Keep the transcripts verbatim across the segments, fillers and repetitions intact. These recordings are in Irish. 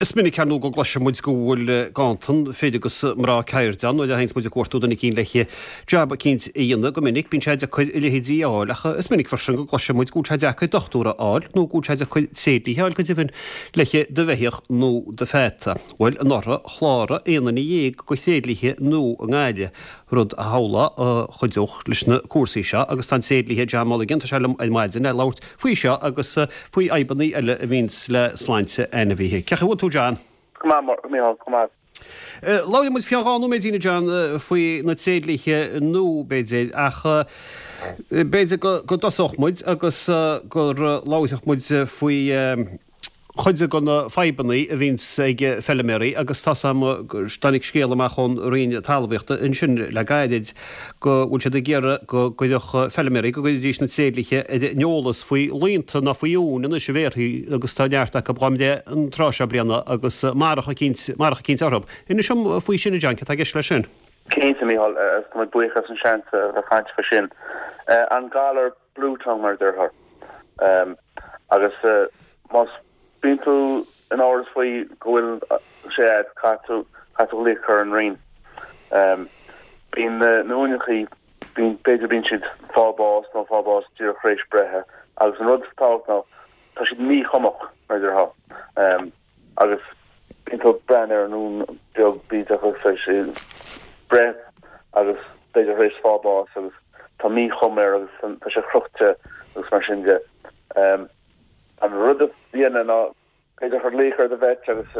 Is minic ar ndóigh go gcloiseann muid go bhfuil ganntan fir agus mná ceirde ann nuair a théanns muid ag cuartú duine eicínt le jab eicínt a dhéanamh. Go minic bíonn sé deacair a leithéidí a fháil ach is minic freisin go gcloiseann muid go bhfuil sé deacair dochtúir a fháil nó go bhfuil sé deacair tréidlia a fháil go deimhin le do bheithíoch nó do pheata. Bhuel, anuraidh chláraigh aon duine dhéag de thréidliatha nua i nGaillimh, rud a shamhlófá a chuideodh leis na cúrsaí seo agus tá an tréidlia John Mulligan, tá sé liom ar maidin le labhairt faoi seo agus faoi fhadhbanna eile a bhíonns le sláinte ainmhithe. Cén chaoi a bhfuil tú John? Go maith, Micheál, go maith. Labhróidh muid faoi dhá nóiméidín a John faoi na tréidliatha nua b'fhéidir ach b'fhéidir go dtosódh muid agus go labharfadh muid faoi chuid de na fadhbanna a bhíonns ag feilméaraí agus tá a fhios agam go dtáinig scéal amach ón Roinn Talmhaíochta ansin le gairid go bhfuil siad ag iarraidh go gcuirfeadh feilméaraí, go gcuirfidís na tréidliatha ar an eolas faoi laonta ná faoi uain anois a bhéarfaí agus tá neart acu dhá mbreith an tráth seo bliana agus marach eicínt, marach eicínt orthu. Inis dom faoi sin a John, céard atá i gceist leis sin? Cinnte, Micheál, agus tá mé buíoch as an seans a bheith ag caint faoi sin. An galar bluetongue mar a déarfá. Agus más bíonn tú in amhras faoi go bhfuil sé agat, caithfidh tú caithfidh tú glaoch a chur ar an Roinn. Bíonn na uaineachaí, bíonn, b'fhéidir bíonn siad fáil bás nó fáil bás díreach tar éis breithe agus an rud is tábhacht ná tá siad míchumach mar a déarfá. Agus bíonn tú ag breathnú ar an uan beag bídeach agus tá sé breith agus b'fhéidir tar éis fáil bás agus tá míchuma air agus tá sé crochta agus mar sin de. An rud a dhéanamh ná b'fhéidir cur glaoch ar do vet agus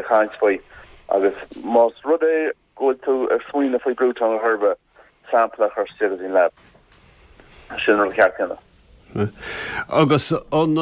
caint faoi agus más rud é go bhfuil tú ag smaoineamh faoi bluetongue ar bith, sampla a chur isteach go dtí an lab. Sin an rud ceart a dhéanamh. Agus an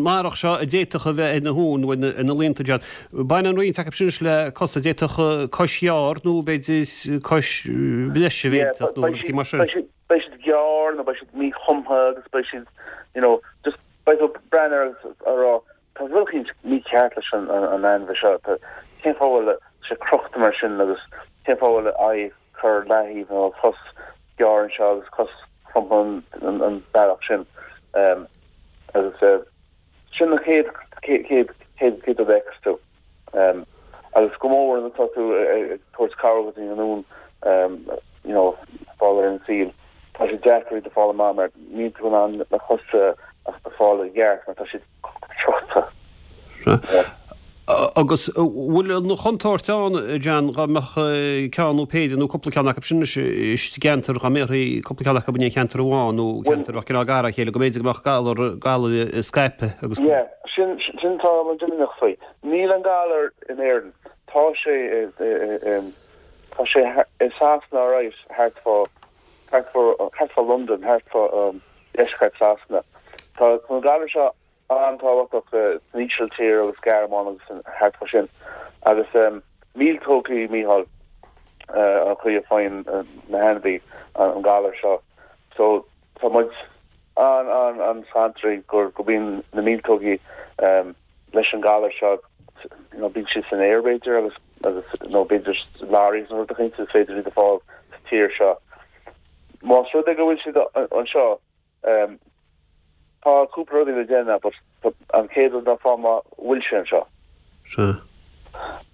marach seo a d'fhéadfadh a bheith ar na huain nó ar na laonta, John, baineann roinnt acu sin anois le cosa, d'fhéadfadh cois ghearr nó b'fhéidir cois bhreise a bheith iontu nó rudaí mar sin. Beidh siad gearr nó beidh siad míchumtha agus beidh siad, you know, just beidh tú ag breathnú air agus ag rá tá rud eicínt mícheart leis an an ainmhí seo, tá, cén fáth a bhfuil sé crochta mar sin agus cén fáth a bhfuil a aghaidh curtha leaththaobh nó a chos gearr anseo agus cos cromtha an an bealach sin. Agus sin an chéad chéad chéad chéad rud a fheiceas tú. Agus go mór nuair atá tú ag tabhairt cabhair go dtí an uan you know fáil ar an saol, tá sé deacair iad a fáil amach mar níl tú in ann na cosa a fáil i gceart mar tá siad crochta. Agus an bhfuil an chontúirt ann, John, dá mbeadh ceann nó péire nó cúpla ceann acu sin anois i gceantar, dá mbéarfaí cúpla ceann acu in aon cheantar amháin nó ceantar a bheadh cineál gar dá chéile, go mb'fhéidir go mbeadh galar, galar ag scaipeadh agus go. Yeah, sin, sin tá muid imníoch faoi. Níl an galar in Éirinn. Tá sé i, tá sé i Sasana alright, thart fá, thart fá, thart fá Londain, thart fá deisceart Sasana. Tá an galar seo an-tábhachtach san Ísiltír agus Gearmáin agus thart fá sin. Agus míoltógaí, Mícheál, an chaoi a faigheann na hainmhí an galar seo. So tá muid an, an, an-scanntrach gur, go mbíonn na míoltógaí leis an galar seo, you know, bíonn siad san aer b'fhéidir agus, agus, nó b'fhéidir lorries nó rud eicínt is féidir iad a fáil sa tír seo. Más rud é go bhfuil siad anseo, tá cúpla rudaí le déanamh but an chéad rud ná fáil amach an bhfuil sé anseo. Sea.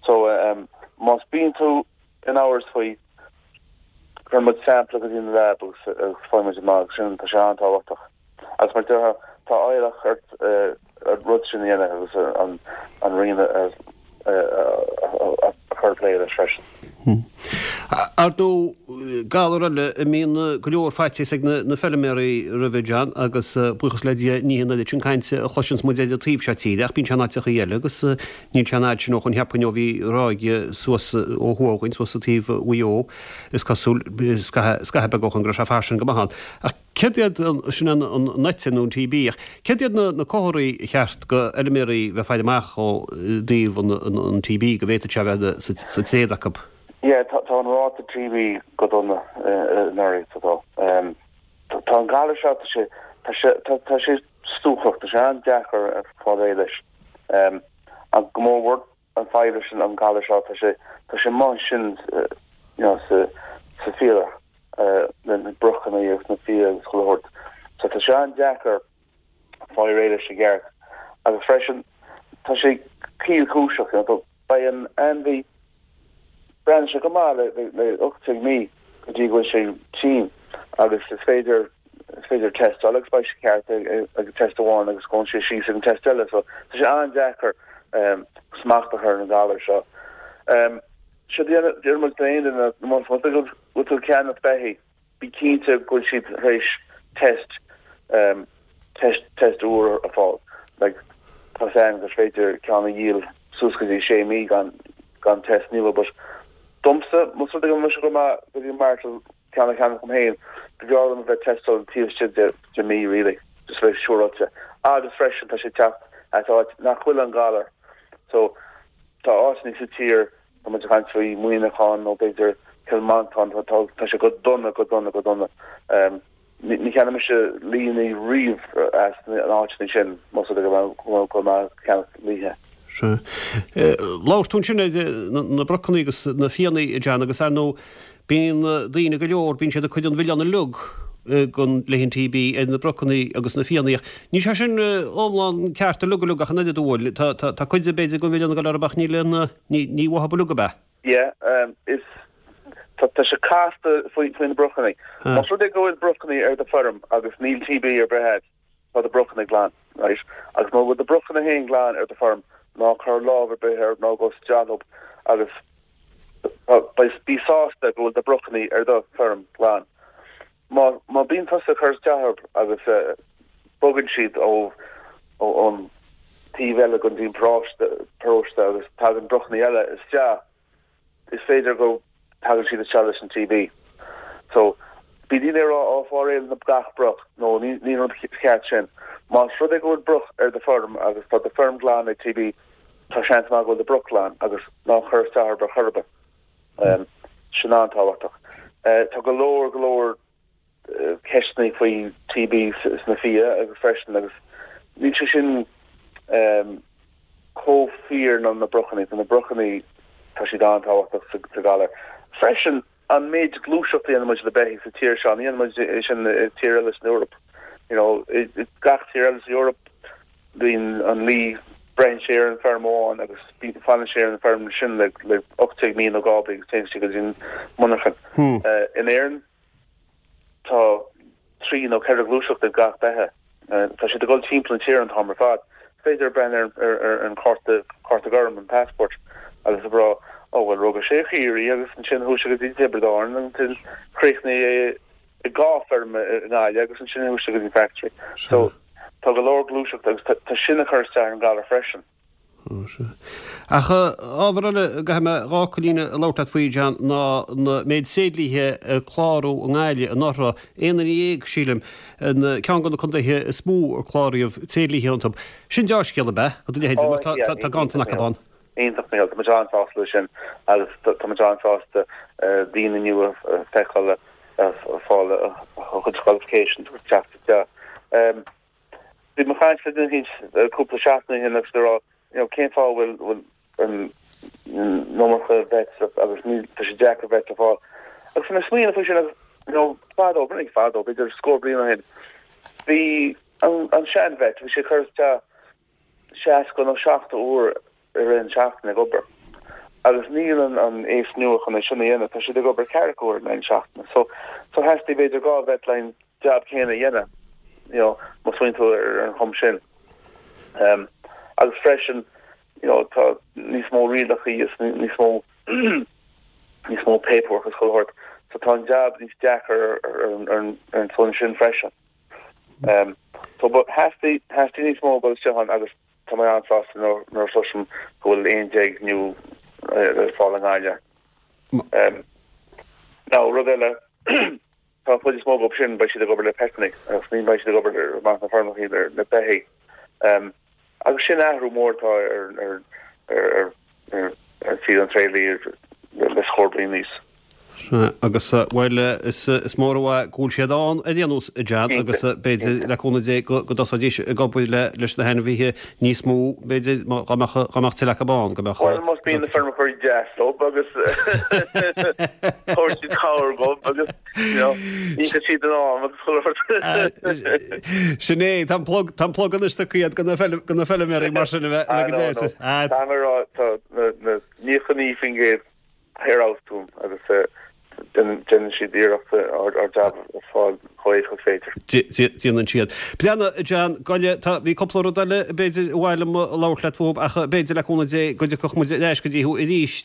So más bíonn tú in amhras faoi, cuireann muid sampla go dtí an lab agus faigheann muid amach agus sin, tá sé an-tábhachtach. Agus mar déarfá, tá iallach ort an rud sin a dhéanamh agus an an Roinn a chur ag plé leis freisin. Ar ndóigh, galar eile a mbíonn go leor faitíos ag na feilméaraí roimhe, John, agus buíochas le Dia ní hé an oiread sin cainte a chloiseanns muid ar an taobh seo tíre ach bíonn sé in áiteachaí eile agus níl sé an fhad sin ó shoin cheapfainn ó bhí ráig suas ó thuaidh againn, suas sa taobh Mhaigh Eo, is cosúil, scaitheamh beag ó shoin go raibh sé fairsing go maith ann. Ach céard iad, sin an eite nó an TB, ach céard iad na comharthaí ar cheart do fheilméaraí bheith ag faire amach ó dtaobh an TB, go bhféadfadh sé a bheith sa tréad acu? Yeah, tá an ráta TB go dona anuraidh, tá. Tá an galar seo, tá sé, tá sé, tá sé stuacach, tá sé an-deacair fáil réidh leis. Ach go mór mhór an fadhb leis an galar seo, tá sé, tá sé amuigh ansin you know sa, sa bhféarach, na brochanna agus na fia agus chuile shórt. So tá sé an-deacair fáil réidh leis i gceart. Agus freisin, Tá sé caolchúiseach, you know, beidh an ainmhí breathnaíonn sé go maith le le le ocht déag mí go dtí go bhfuil sé tinn agus is féidir is féidir tástáil agus beidh sé ceart ag ag test amháin agus gabhann sé síos ag an test eile so tá sé an-deacair um, smacht a chur ar an galar seo. Um, Seo deir muid d'aon duine má bhfuil tú ag ceannach beithígh bí cinnte go bhfuil siad tar éis test um, test test úr a fáil. Like, tá an gur féidir ceann a dhíol suas go dtí sé mí gan gan test nua, but domsa más rud é go mbeidh go maith go dtí mar ceann a cheannach dom féin, b'fhearr liom bheith tástáil taobh istigh de de mí really, just bheith siúráilte. Agus freisin tá sé teacht as áit nach bhfuil an galar. So tá áiteanna sa tír tá muid ag caint faoi Mhuineachán nó b'fhéidir Cill Mhantáin tá tá tá sé go dona go dona go dona. Um, ní ní cheannóidh mise laoicheanna riamh as an áit sin más rud é go go go maith ceannach laoithe. Sea. Labhair tú ansin ar na brocanna agus na fianna John agus ar ndóigh bíonn daoine go leor bíonn siad ag cur an milleán uilig gon leis an TB ar na brocanna agus na fianna. Níl sé sin iomlán ceart uilig uilig ach an oiread bhfuil tá tá cuid b'fhéidir go bhfuil an galar ach níl an ní ní bhfuil uilig ab ea. Yeah, um, is tá tá sé casta faoi faoi na brochanna. Más rud é go bhfuil brochanna ar do feirm agus níl TB ar bith agat tá do brochanna glan, right? Agus má bhfuil do brochanna féin glan ar do feirm ná cuir lámh ar bith air ná gabh isteach leo agus bí sásta go bhfuil do brochanna ar do feirm glan. Má má bíonn tusa ag cur isteach agus uh, bogann siad ó ó an taobh eile go dtí paróiste paróiste agus tagann brochanna eile isteach is féidir go tagann siad isteach leis an TB. So bí daoine rá á fáréil na gach broch nó ní ní an ceart sin. Más rud é go bhfuil broch ar do feirm agus tá do feirm glan ag TB tá seans maith go bhfuil do broch glan agus ná cuir isteach ar chor ar bith. Um, sin an-tábhachtach. Uh, tá go leor go leor ceisteanna faoi TB sna fia agus freisin agus níl sé sin um, chomh fíor ná na brochanna na brochanna tá siad an-tábhachtach sa, sa galar. Freisin an méid gluaiseachta a dhéanann muid le beithígh sa tír seo ní muid sin tír eile san Eoraip. You know, gach tír eile sa Eoraip bíonn an lao braitheann sé ar an feirm amháin agus fanann sé ar an feirm sin le le ocht mí nó dhá bhliain agus téann sé go dtí an monarchan. Hmm. Uh, in Éirinn tá trí nó ceithre gluaiseacht ag gach beithíoch. Uh, tá sé ag dul timpeall an tír an t-am ar fad. Féidir breathnú ar, ar, ar an cárta cárta gorm an passport agus a rá ó well rugadh sé i gCiarraí agus ansin chuaigh sé go dtí Tiobraid Árann ansin chríochnaigh i dhá feirm i nGaillimh agus ansin chuaigh sé go dtí factory. So tá go leor gluaiseacht agus tá sin ag cur isteach ar an galar freisin. Ach ábhar eile go mé dhá cholína labhairt faoi John ná na méid tréidliaithe a cláraíodh i nGaillimh anuraidh aon duine dhéag sílim ceann de na contaetha is mó ar cláraíodh tréidliaithe iontu. Sin dea-scéal ab ea go leithéid mar tá tá ganntan acu ann. Iontach mé tá muid an-sásta leis sin agus tá muid an-sásta daoine nua a feiceáil fáil a chuid qualifications agus teacht isteach. Bhí mé ag caint le duine cúpla seachtain ó shin agus rá you know, cén fáth bhfuil bhfuil an iomarca vets agus ní tá sé deacair vet a fáil. Agus na smaoine faoi sin agus you know, fadó b'fhéidir fadó b'fhéidir scór bliain ó shin. Bhí an, an sean vet bhí sé cur isteach seasca nó seachtó uair ar an seachtain ag obair. Agus níl an an aos nua chun é sin a dhéanamh, tá siad ag obair ceathracha uair in seachtain. So so theastaigh b'fhéidir dhá vet leis an job céanna a dhéanamh. You know, má smaoiníonn tú ar an chuma sin. Um, agus freisin you know, tá níos mó rialacha is níos mó níos mó paperwork is chuile shórt. So tá an job níos deacra ar ar ar an son sin freisin. Um, so but theastaigh theastaigh níos mó go an agus tá mé an-sásta nuair nuair cloisim go bhfuil aon déag nua ar fáil i nGaillimh. Um, Now rud eile tá chuid is mó go sin beidh siad ag obair le petanna agus ní beidh siad ag obair amach na feirmeacha le le beithígh. Um, agus sin athrú mór tá ar ar ar ar ar ar saol an tréidlia le scór bliain anuas. Agus bhuel is mór an mhaith go bhfuil siad ann ar aon nós a John agus b'fhéidir le cúnamh Dé go dtosóidís ag obair leis na hainmhithe níos mó b'fhéidir dá mbeadh dá mbeadh tuilleadh acu ann go mbeadh Bhuel más bíonn na feirmeoirí deas leo agus tabharfaidh siad cabhair dóibh agus you know íocfaidh siad in am agus chuile shórt. Sin é, tá an plug tá an plug anois tugtha agat do na feilméaraí mar sin a bheith go deas. Tá mé ag rá tá na naocha naoi faoin gcéad ar fheabhas dúinn agus déanann siad iarracht ár jab a fháil chomh héasca is féidir. Déanann siad. Breathnaigh, a John, gabh i leith, tá, bhí cúpla rud eile b'fhéidir ba mhaith liom labhairt leat fúthu ach b'fhéidir le cúnamh Dé go dtiocfadh muid ar ais go dtí thú arís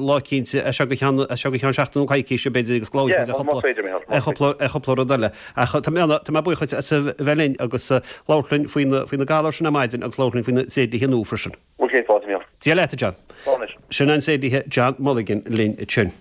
lá eicínt as seo go ceann, as seo go ceann seachtain nó coicíse b'fhéidir agus go labhróidh muid ar chúpla, ar chúpla, ar chúpla rud eile. Ach tá mé, tá mé buíoch duit as a bheith linn agus labhairt linn faoi na, faoi na galair sin ar maidin agus labhairt linn faoi na tréidliacha nua freisin. Bhuel, cén fáth, a Mhícheáil? Dia leat, a John. Slán anois. Sin an tréidlia John Mulligan linn ansin.